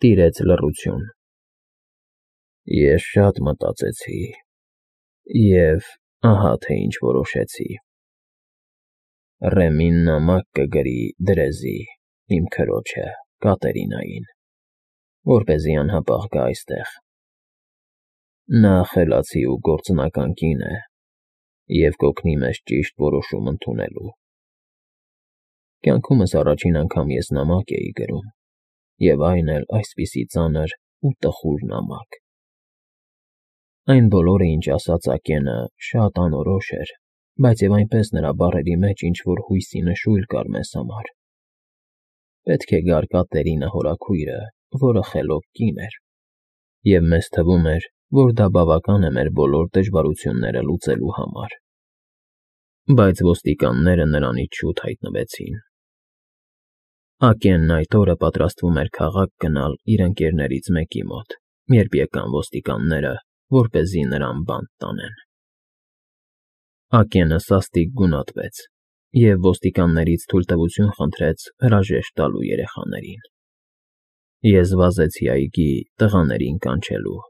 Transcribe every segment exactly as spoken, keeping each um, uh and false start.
Տիրեց լռություն։ Ես շատ մտածեցի, և ահա թե ինչ որոշեցի. Ռեմին նամակ կգրի դրեզի, իմ քրոջը, Կատերինային, որպեսզի անհապաղ գա այստեղ։ Նա խելացի ու գործնական կին է և կօգնի մեզ ճիշտ որոշում ընդունելու։ Կյանքումս առաջին անգամ ես նամակ էի գրում, և այն էլ այսպիսի ծանր ու տխուր նամակ։ Այն բոլորը, ինչ ասաց Ակենը, շատ անորոշ էր, բայց և այնպես նրա բառերի մեջ ինչ֊որ հույսի նշույլ կար մեզ համար։ Պետք է գար Կատերինա հորաքույրը, որը խելոք կին էր, և մեզ թվում էր, որ դա բավական է մեր բոլոր դժվարությունները լուծելու համար։ Բայց ոստիկանները նրանից շուտ հայտնվեցին։ Ակենն այդ օրը պատրաստվում էր քաղաք գնալ իր ընկերներից մեկի մոտ, երբ եկան ոստիկանները, որպեսզի նրան բանտ տանեն։ Ակենը սաստիկ գունատվեց և ոստիկաններից թույլտվություն խնդրեց հրաժեշտ տալու երեխաներին։ Ես վազեցի այգի տղաներին կանչելու։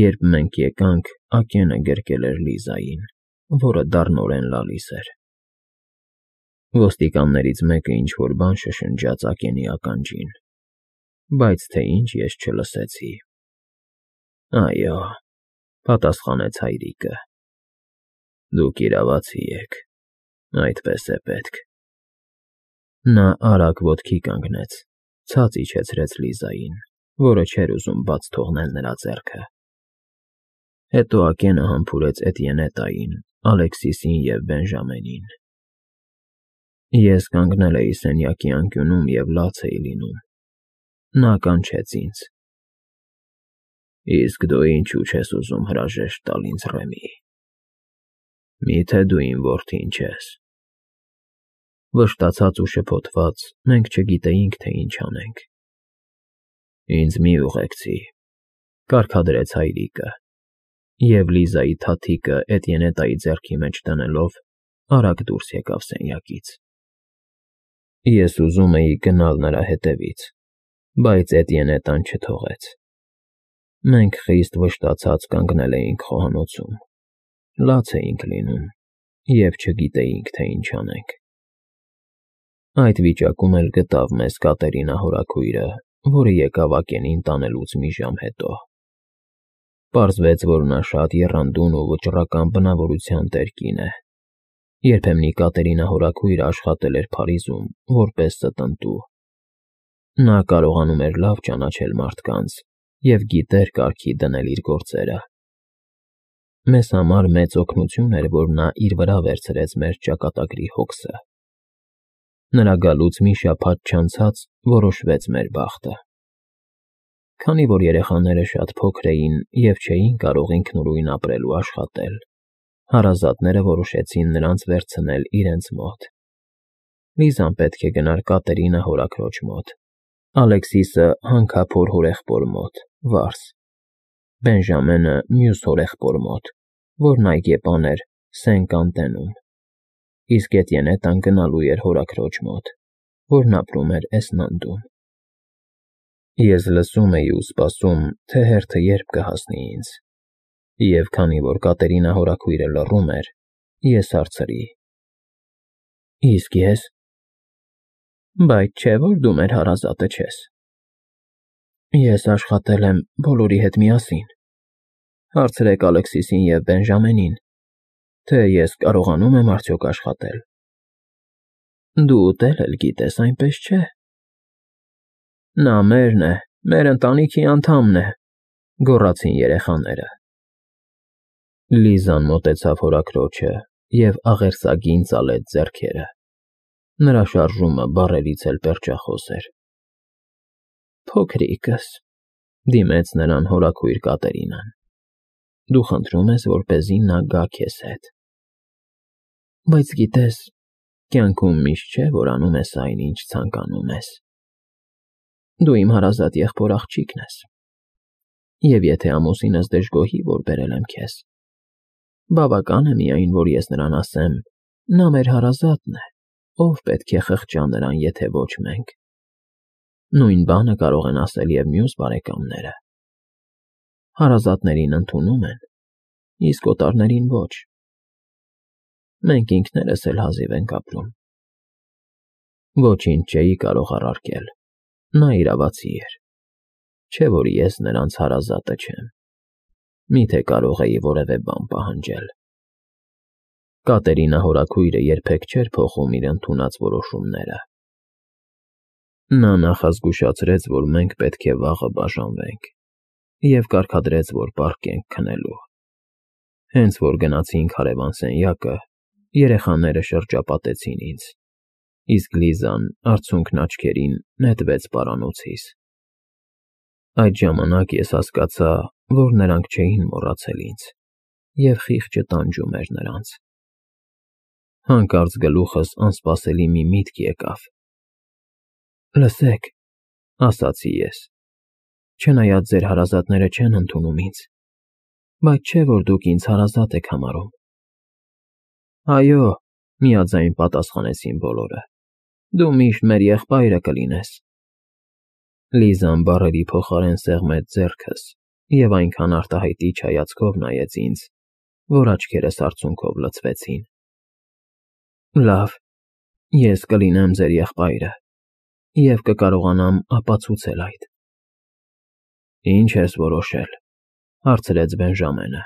Երբ մենք եկանք, Ակենը գրկել էր Լիզային, որը դառնորեն լալիս էր։ Ոստիկաններից մեկը ինչ֊որ բան շշնջաց Ակենի ականջին, բայց թե ինչ ես չլսեցի։ Այո, պատասխանեց հայրիկը, դուք իրավացի եք, այդպես է պետք։ Նա արագ ոտքի կանգնեց, ցած իջեցրեց Լիզային, որը չէր ուզում բաց թողնել նրա ձեռքը։ Հետո Ակենը համբուրեց Էտիենետային, Ալեքսիսին և Բենժամենին։ Ես կանգնել էի սենյակի անկյունում և լաց էի լինում։ Նա կանչեց ինձ. Իսկ դու ինչու չես ուզում հրաժեշտ տալ ինձ, Ռեմի, մի՞թե դու իմ որդին չես։ Վշտացած ու շփոթված՝ մենք չգիտեինք, թե ինչ անենք։ Ինձ մի ուղեկցի, կարգադրեց հայրիկը, և Լիզայի թաթիկը Էտիենետայի ձեռքի մեջ դնելով արագ դուրս եկավ սենյակից։ Ես ուզում էի գնալ նրա հետևից, բայց Էտիենետան չթողեց։ Մենք խիստ վշտացած կանգնել էինք խոհանոցում, լաց էինք լինում և չգիտեինք, թե ինչ անենք։ Այդ վիճակում էլ գտավ մեզ Կատերինա հորաքույրը, որը եկավ Ակենին տանելուց մի ժամ հետո։ Պարզվեց, որ նա շատ եռանդուն ու վճռական բնավորության տեր կին է։ Երբեմնի Կատերինա հորաքույրը աշխատել էր Փարիզում որպես ստընտու։ Նա կարողանում էր լավ ճանաչել մարդկանց և գիտեր կարգի դնել իր գործերը։ Մեզ համար մեծ օգնություն էր, որ նա իր վրա վերցրեց մեր ճակատագրի հոգսը։ Նրա գալուց մի շաբաթ չանցած որոշվեց մեր բախտը։ Քանի որ երեխաները շատ փոքր էին և չէին կարող ինքնուրույն ապրել ու աշխատել, հարազատները որոշեցին նրանց վերցնել իրենց մոտ։ Լիզան պետք է գնար Կատերինա հորաքրոջ մոտ, Ալեքսիսը հանքափոր հորեղբոր մոտ, Վարս, Բենժամենը մյուս հորեղբոր մոտ, որն այգեպան էր Սեն֊Կանտենում, իսկ Էտիենետան գնալու էր հորաքրոջ մոտ, որն ապրում էր Էսնանդում։ Ես լսում էի ու սպասում, թե հերթը երբ կհասնի ինձ, և քանի որ Կատերինա հորաքույրը լռում էր, ես հարցրի. Իսկ ես… Բայց չէ՞ որ դու մեր հարազատը չես։ Ես աշխատել եմ բոլորի հետ միասին։ Հարցրեք Ալեքսիսին և Բենժամենին, թե ես կարողանում եմ արդյոք աշխատել։ Դու ուտել էլ գիտես, այնպես չէ։ Նա մերն է, մեր ընտանիքի անդամն է, գոռացին երեխաները։ Լիզան մոտեցավ հորաքրոջը և աղերսագին ծալեց ձեռքերը։ Նրա շարժումը բառերից էլ պերճախոս էր։ Փոքրիկս, դիմեց նրան հորաքույր Կատերինան, դու խնդրում ես, որպեսզի նա գա քեզ հետ։ Բայց գիտես, կյանքում միշտ չէ, որ անում ես այն, ինչ ցանկանում ես։ Դու իմ հարազատ եղբոր աղջիկն ես, և եթե ամուսինս դժգոհի, որ բերել եմ քեզ, բավական է միայն, որ ես նրան ասեմ. նա մեր հարազատն է, ով պետք է խղճա նրան, եթե ոչ մենք։ Նույն բանը կարող են ասել և մյուս բարեկամները։ Հարազատներին ընդունում են, իսկ օտարներին ոչ։ Մենք ինքներս էլ հազիվ ենք ապրում։ Ոչինչ չէի կարող առարկել, նա իրավացի էր, չէ որ ես նրանց հարազատը չեմ, միթե կարող էի որևէ բան պահանջել։ Կատերինա հորաքույրը երբեք չէր փոխում իր ընդունած որոշումները։ Նա նախազգուշացրեց, որ մենք պետք է վաղը բաժանվենք, և կարգադրեց, որ պառկենք քնելու։ Հենց որ գնացինք հարևան սենյակը, երեխաները շրջապատեցին ինձ, իսկ Լիզան արցունքն աչքերին նետվեց պարանոցիս։ Այդ ժամանակ ես հասկացա, որ նրանք չէին մոռացել ինձ, և խիղճը տանջում էր նրանց։ Հանկարծ գլուխս անսպասելի մի միտք եկավ։ «Լսեք», ասացի ես, «չնայած ձեր հարազատները չեն ընդունում ինձ, բայց չէ՞ որ դուք ինձ հարազատ եք համարում»։ «Այո», միաձայն պատասխանեցին բոլորը, «դու միշտ մեր եղբայրը կլինես»։ Լիզան բառերի փոխարեն սեղմեց ձեռքս և այնքան արտահայտիչ հայացքով նայեց ինձ, որ աչքերս արցունքով լցվեցին։ «Լավ, ես կլինեմ ձեր եղբայրը և կկարողանամ ապացուցել այդ»։ «Ինչ ես որոշել», հարցրեց Բենժամենը։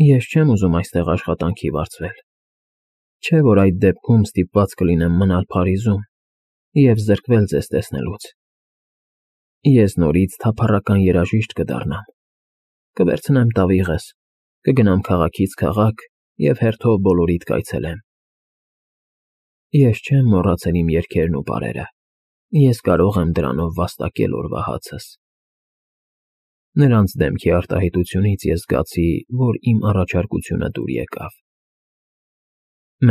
«Ես չեմ ուզում այստեղ աշխատանքի վարձվել, չէ՞ որ այդ դեպքում ստիպված կլինեմ մնալ Փարիզում և զրկվել ձեզ տեսնելուց։ Ես նորից թափառական երաժիշտ կդառնամ, կվերցնեմ տավիղս, կգնամ քաղաքից քաղաք և հերթով բոլորիդ կայցելեմ։ Ես չեմ մոռացել իմ երգերն ու պարերը, ես կարող եմ դրանով վաստակել օրվա հացս»։ Նրանց դեմքի արտահայտությունից ես զգացի, որ իմ առաջարկությունը դուր եկավ։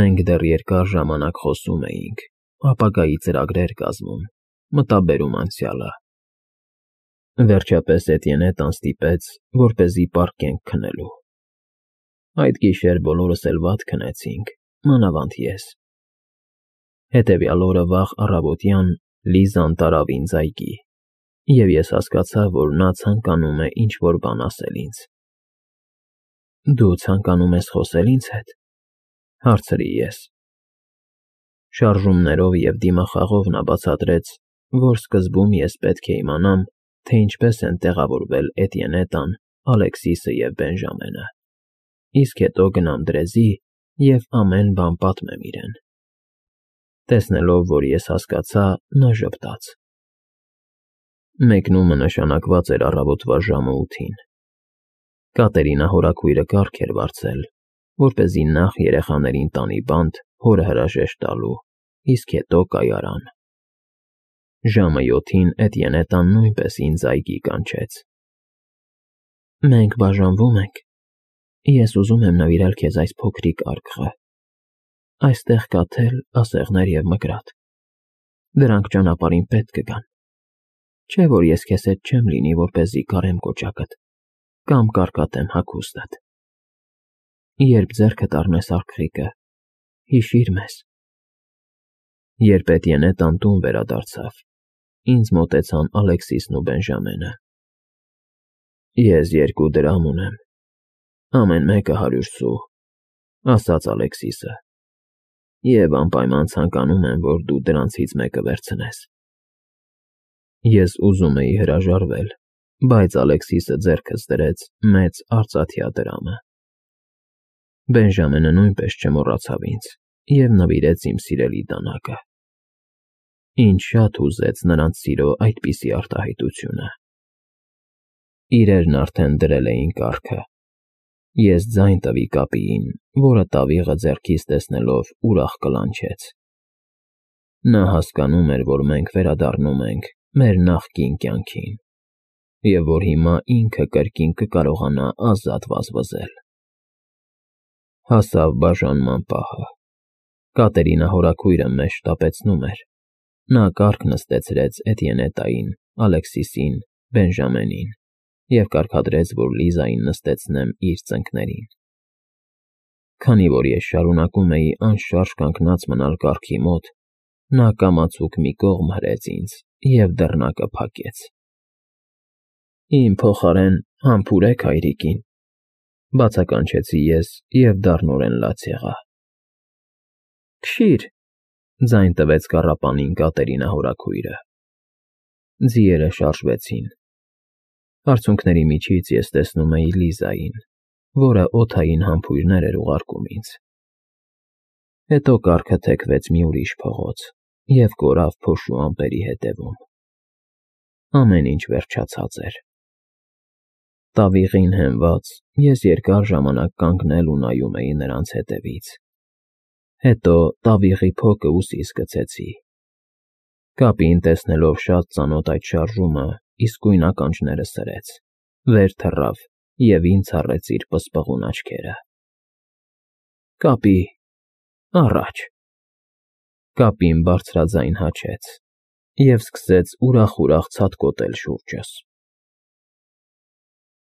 Մենք դեռ երկար ժամանակ խոսում էինք, ապագայի ծրագրեր կազմում, մտաբերում անցյալը։ Վերջապես Էտիենետան ստիպեց, որպեսզի պառկենք քնելու։ Այդ գիշեր բոլորս էլ վատ քնեցինք, մանավանդ ես։ Հետևյալ օրը վաղ առավոտյան Լիզան տարավ ինձ այգի, և ես հասկացա, որ նա ցանկանում է ինչ֊որ բան ասել ինձ։ «Դու ցանկանում ես խոսե՞լ ինձ հետ», հարցրի ես։ Շարժումներով և դիմախաղով նա բացատրեց, որ սկզբում ես պետք է իմանամ, թե ինչպես են տեղավորվել Էտիենետան, Ալեքսիսը և Բենժամենը, իսկ հետո գնամ դրեզի և ամեն բան պատմեմ իրեն։ Տեսնելով, որ ես հասկացա, նա ժպտաց։ Մեկնումը նշանակված էր առավոտվա ժամը ութին։ Կատերինա հորաքույրը կարգ էր վարձել, որպեսզի նախ երեխաներին տանի բանտ հորը հրաժեշտ տալու, իսկ հետո կայարան։ Ժամը յոթին Էտիենետան նույնպես ինձ այգի կանչեց։ «Մենք բաժանվում ենք, ես ուզում եմ նվիրել քեզ այս փոքրիկ արկղը։ Այստեղ կա թել, ասեղներ և մկրատ։ Դրանք ճանապարհին պետք կգան։ Չէ՞ որ ես քեզ հետ չեմ լինի, որպեսզի կարեմ կոճակդ կամ կարկատեմ հագուստդ։ Երբ ձեռքդ առնես արկղիկը, հիշիր մեզ»։ Երբ Էտիենետան տուն վերադարձավ, ինձ մոտեցան Ալեքսիսն ու Բենժամենը։ «Ես երկու դրամ ունեմ, ամեն մեկը հարյուր սու», ասաց Ալեքսիսը, «և անպայման ցանկանում եմ, որ դու դրանցից մեկը վերցնես»։ Ես ուզում էի հրաժարվել, բայց Ալեքսիսը ձեռքս դրեց մեծ արծաթյա դրամը։ Բենժամենը նույնպես չմոռացավ ինձ և նվիրեց իմ սիրելի դանակը։ Ինձ շատ հուզեց նրանց սիրո այդպիսի արտահայտությունը։ Իրերն արդեն դրել էին կառքը։ Ես ձայն տվի կապիին, որը տավիղը ձեռքիս տեսնելով ուրախ կլանչեց։ Նա հասկանում էր, որ մենք վերադառնում ենք մեր նախկին կյանքին, և որ հիմա ինքը կրկին կկարողանա ազատ վազվզել։ Հասավ բաժանման պահը։ Կատերինա հորաքույրը մեզ շտապեցնում էր։ Նա կառք նստեցրեց Էտիենետային, Ալեքսիսին, Բենժամենին և կարգադրեց, որ Լիզային նստեցնեմ իր ծնկներին։ Քանի որ ես շարունակում էի անշարժ կանգնած մնալ կառքի մոտ, Նա կամացուկ մի կողմ հրեց ինձ և դռնակը փակեց։ Իմ փոխարեն համբուրեք հայրիկին, բացականչեցի ես և դառնորեն լաց եղա։ Քշի՛ր, ձայն տվեց կառապանին Կատերինա հորաքույրը։ Ձիերը շարժվեցին։ Արցունքների միջից ես տեսնում էի Լիզային, որը օդային համբույրներ էր ուղարկում ինձ։ Հետո կառքը թեքվեց մի ուրիշ փողոց և կորավ փոշու ամպերի ետևում։ Ամեն ինչ վերջացած էր։ Տավիղին հենված, ես երկար ժամանակ կանգնել ու նայում էի նրանց ետևից։ Հետո տավիղի փոքը ուսիս գցեցի։ Կապին տեսնելով շատ ծանոթ այդ շարժումը, իսկույն ականջները սրեց, վեր թռավ և ինձ առեց իր պսպղուն աչքերը։ Կապի՛, առաջ… Կապին բարձրաձայն հաչեց և սկսեց ուրախ֊ուրախ ցատկոտել շուրջս։